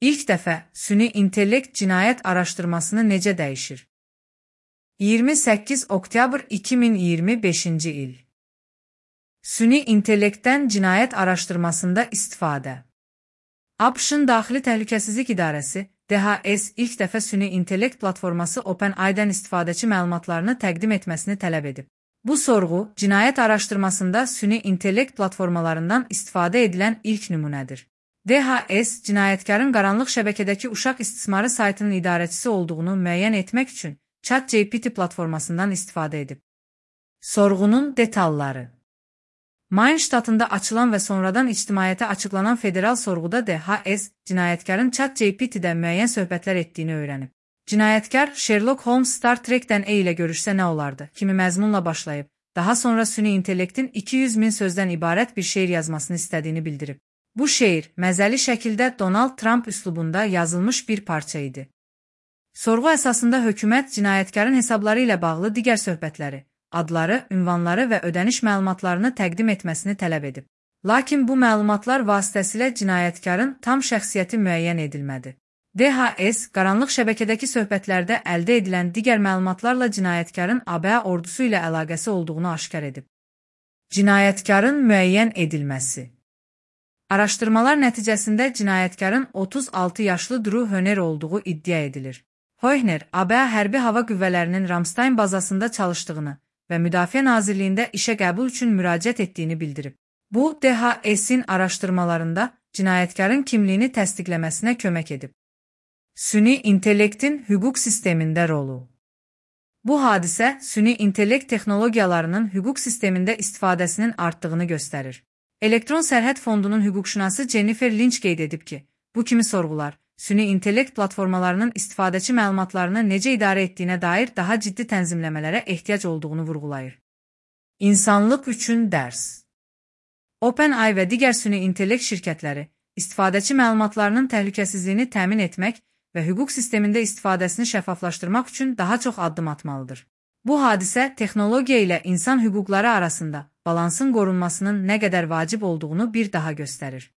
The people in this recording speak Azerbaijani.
İlk dəfə süni intellekt cinayət araşdırmasını necə dəyişir? 28 oktyabr 2025-ci il. Süni intellektdən cinayət araşdırmasında istifadə. ABŞ-ın Daxili Təhlükəsizlik İdarəsi, DHS ilk dəfə süni intellekt platforması OpenAI-dən istifadəçi məlumatlarını təqdim etməsini tələb edib. Bu sorğu, cinayət araşdırmasında süni intellekt platformalarından istifadə edilən ilk nümunədir. DHS, cinayətkarın qaranlıq şəbəkədəki uşaq istismarı saytının idarəçisi olduğunu müəyyən etmək üçün ChatGPT platformasından istifadə edib. Sorğunun detalları. Maine ştatında açılan və sonradan ictimaiyyətə açıqlanan federal sorğuda DHS, cinayətkarın ChatGPT-də müəyyən söhbətlər etdiyini öyrənib. Cinayətkar Sherlock Holmes Star Trek-dən ilə görüşsə nə olardı kimi məzmunla başlayıb, daha sonra süni intellektin 200 min sözdən ibarət bir şeir yazmasını istədiyini bildirib. Bu şeir, məzəli şəkildə Donald Trump üslubunda yazılmış bir parça idi. Sorğu əsasında hökumət cinayətkarın hesabları ilə bağlı digər söhbətləri, adları, ünvanları və ödəniş məlumatlarını təqdim etməsini tələb edib. Lakin bu məlumatlar vasitəsilə cinayətkarın tam şəxsiyyəti müəyyən edilmədi. DHS, qaranlıq şəbəkədəki söhbətlərdə əldə edilən digər məlumatlarla cinayətkarın ABA ordusu ilə əlaqəsi olduğunu aşkar edib. Cinayətkarın müəyyən edilməsi. Araşdırmalar nəticəsində cinayətkarın 36 yaşlı Drew Hohner olduğu iddia edilir. Hohner, ABA hərbi hava qüvvələrinin Ramstein bazasında çalışdığını və Müdafiə Nazirliyində işə qəbul üçün müraciət etdiyini bildirib. Bu, DHS-in araşdırmalarında cinayətkarın kimliyini təsdiqləməsinə kömək edib. Süni intellektin hüquq sistemində rolu. Bu hadisə, süni intellekt texnologiyalarının hüquq sistemində istifadəsinin artdığını göstərir. Elektron Sərhəd Fondunun hüquqşünası Jennifer Lynch qeyd edib ki, bu kimi sorğular, süni intellekt platformalarının istifadəçi məlumatlarını necə idarə etdiyinə dair daha ciddi tənzimləmələrə ehtiyac olduğunu vurğulayır. İnsanlıq üçün dərs. OpenAI və digər süni intellekt şirkətləri, istifadəçi məlumatlarının təhlükəsizliyini təmin etmək və hüquq sistemində istifadəsini şəffaflaşdırmaq üçün daha çox addım atmalıdır. Bu hadisə texnologiya ilə insan hüquqları arasında balansın qorunmasının nə qədər vacib olduğunu bir daha göstərir.